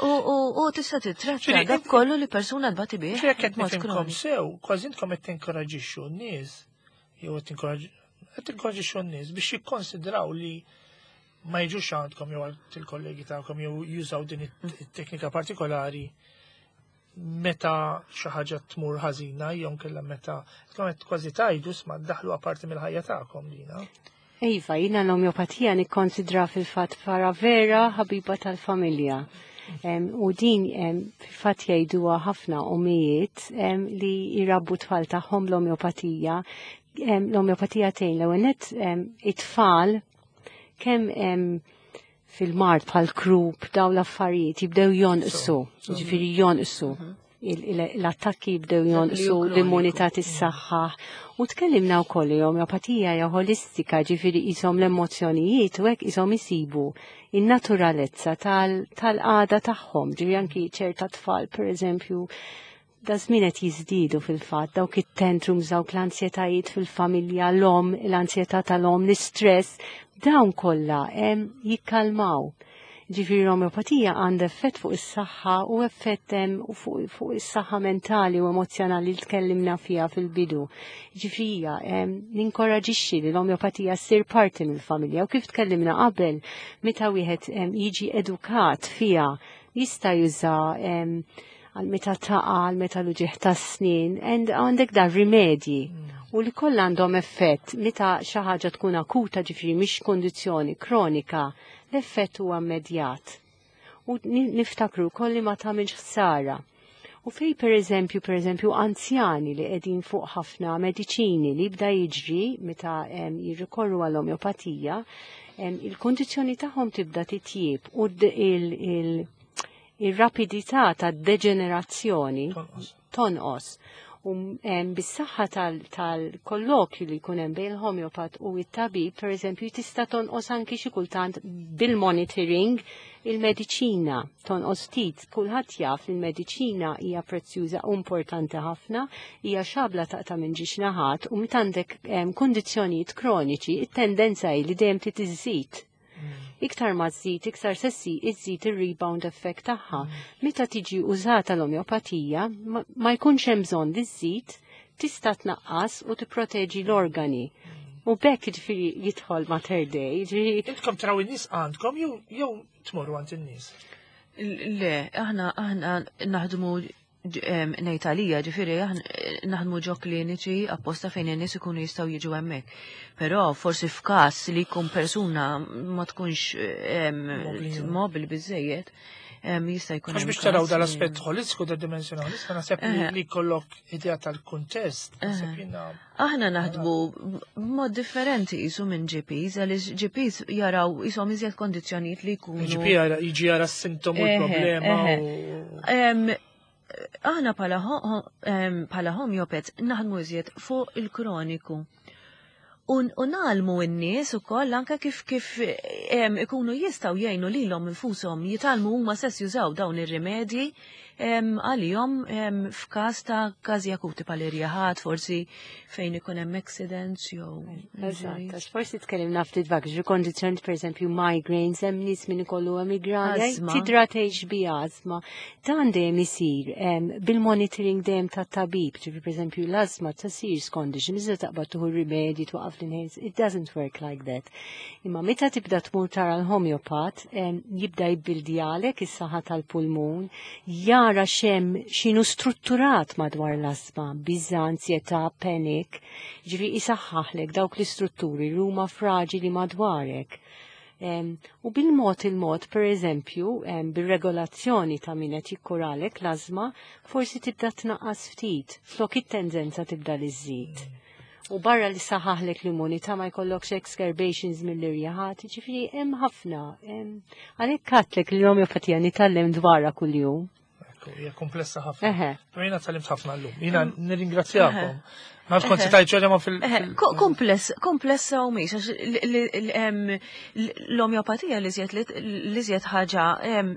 U, u, u tista' titratta Ġifieri, dak kollu li persuna tbati bih. Ġifieri qed b'mod nifhimkom kroniku. sew, kważi intkom qed tinkoraġixxu n-nies, jew qed qed tinkoraġixxu n-nies biex jikkonsidraw li ma jiġux għandkom jew għand il-kollegi tagħkom jew jużaw din it-teknika partikolari meta xi ħaġa tmur ħażina jew nkella meta tkun qed kważi tgħidu sma daħlu apparti mill-ħajja tagħkom dina. Iva, jina l-omeopatija nikkonsidra fil-fatt para vera ħabiba tal-familja. Em, u din em, fil-fatt jgħiduha ħafna omijiet em, li jrabbu tfal tagħhom l-omeopatija. Em, L-omeopatija tgħin l-ewwel nett em, it-tfal kemm em, fil-mard bħal croup daw l-affarijiet jibdew jonqsu, jiġifieri jonqsu. Il- il- L-attakki jibdew jonqsu, kroniku. l-immunità tissaħħaħ. U tkellimna wkoll li omeopatija hija holistika, ġifieri qishom l-emozzjonijiet u hekk qishom isibu in-naturalezza tal-qagħda tagħhom. Ġifieri anki ċerta tfal, per eżempju, da żmien qed jiżdiedu fil-fatt dawk it-tantrums, dawk l-ansjetajiet fil-familja, l-om, l-ansjetà tal-om, l-istress, dawn kollha em, jikkalmaw. Ġifieri l-omeopatija għandha effett fuq is-saħħa u effett fuq, fuq is-saħħa mentali u emozjonali li tkellimna fiha fil-bidu. Ġifieri ninkoraġixxi li l-omeopatija ssir parti mill-familja u kif tkellimna qabel meta wieħed jiġi edukat fiha jista' juża għal meta taqa', għal meta l-uġigħ tas-snien, għandek dar rimedji. U li kollha għandhom effett meta xi ħaġa tkun akuta, ġifieri mhix kondizzjoni kronika, l-effett huwa immedjat. U niftakru kolli ma tagħmilx ħsara. U fej per eżempju, per eżempju, anzjani li qegħdin fuq ħafna mediċini li jibda jiġri meta jirrikorru għall-omeopatija, il-kondizzjoni tagħhom tibda titjib u il-rapidità ta' deġenerazzjoni tonqos. U bis-saħħa tal-kollokju li jkun hemm bejn il-homeopat u it-tabib, per eżempju, tista' tonqos anki xi kultant bil-monitoring il-mediċina tonqos ftit. Kulħadd jaf li l-mediċina hija prezzjuża u importanti ħafna, hija xabla taqta' minn ġiex naħat u meta għandek kundizzjonijiet kroniċi, it-tendenza hi li dejjem trid iżżid. Iktar ma żżid, iktar sessi iżżid ir-rebound effect tagħha. Meta tiġi użata l-omeopatija, ma jkunx hemm bżonn li żżid, tista' tnaqqas u tipproteġi l-organi. U bekk ġifieri jidħol Mater Dei. Intkom traw in-nies għandkom jew jew tmorru għand in-nies? Le, aħna aħna naħdmu ngħid għalija, ġifieri naħdmu ġo kliniċi apposta fejn in-nies ikunu jistgħu jiġu hemmhekk. Però forsi f'każ li jkun persuna ma tkunx mobili biżejjed, jista' jkun. Għax biex taraw dal-aspett holistiku, da dimensjoni holistika, naħseb li kollok idea tal-kuntest. Aħna naħdmu b'mod differenti jisu minn G Ps, għaliex G Ps jaraw jisom iżjed kondizzjonijiet li jkunu. G P jiġi jara s-sintomu l-problema. Aħna bħala homeopaths naħdmu iżjed fuq il-kroniku. U nagħlmu n-nies ukoll anke kif kif ikunu jistgħu jgħinu lilhom infushom jitgħallmu huma stess jużaw dawn ir-rimedji għalihom f'każ ta' każi akuti bħal irjaħat, forsi fejn ikun hemm accidents jew. Eżatt, għax forsi tkellimna ftit vak, ġi kondizzjoni pereżempju migraines, hemm nies min ikollu migrana, tidra tgħix bi ażma. Dan dejjem isir bil-monitoring dejjem tat-tabib, ġifieri pereżempju l-ażma ta' serious condition, iżda taqbad tieħu rimedji twaqaf l-inhalers, it doesn't work like that. Imma meta tibda tmur tara l-homeopat, jibda jibbildjalek is-saħħa tal-pulmun, jara xem xinu strutturat madwar l-asma, biża, ansjetà, panic, ġifieri isaħħaħlek dawk l-istrutturi li huma fraġili madwarek. U bil-mod il-mod, per eżempju, bir-regolazzjoni ta' min qed jikkuralek l-asma, forsi tibda tnaqqas ftit, flok it-tendenza tibda li żżid. U barra li saħaħlek l-immunità ma jkollokx exacerbations mill-irjaħat, ġifieri hemm ħafna. Għalhekk katlek li l-omeopatija nitgħallem dwarha kuljum. Hija komplessa ħafna. Però jiena tgħallimt ħafna llum. Jiena nirringrazzjakom. Ma kont tajt ġodja ma fil. Kompless, komplessa u mhix għax l-omeopatija li żjed ħaġa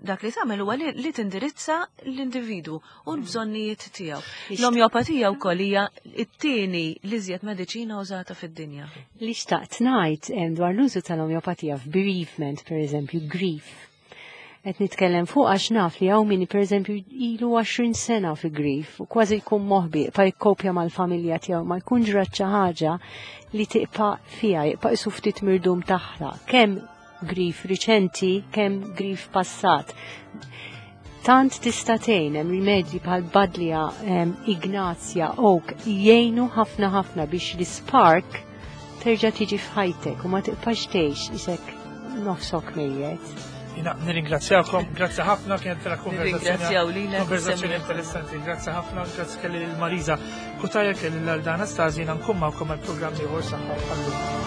dak li tagħmel huwa li tindirizza l-individwu u l-bżonnijiet tiegħu. L-omeopatija wkoll hija t-tieni li żjed mediċina użata fid-dinja. Li xtaqt ngħid dwar l-użu tal-omeopatija f'bereavement, pereżempju, grief. Qed nitkellem fuq għax naf li hawn min pereżempju ilu għoxrin sena fi grief u kważi jkun moħbi, pa jikkopja mal-familja tiegħu, ma jkun ġrat xi ħaġa li tiqpa' fiha, jibqa' isu ftit mirdum taħla. Kemm grief riċenti, kemm grief passat. Tant tista' tgħin hemm rimedji bħal Badlija, Ignazja, Oak, jgħinu ħafna ħafna biex l-spark terġa' tiġi f'ħajtek u ma tiqpax tgħix isek nofsok mejjet. Jina nirringrazzjakom, grazzi ħafna, kienet vera konverzazzjoni konverzazzjoni interessanti, grazzi ħafna, grazzi kelli l-Marisa Cutajar, kelli l-Alda Anastasi, jiena nkun magħkom għal programm ieħor saħħa bħallum.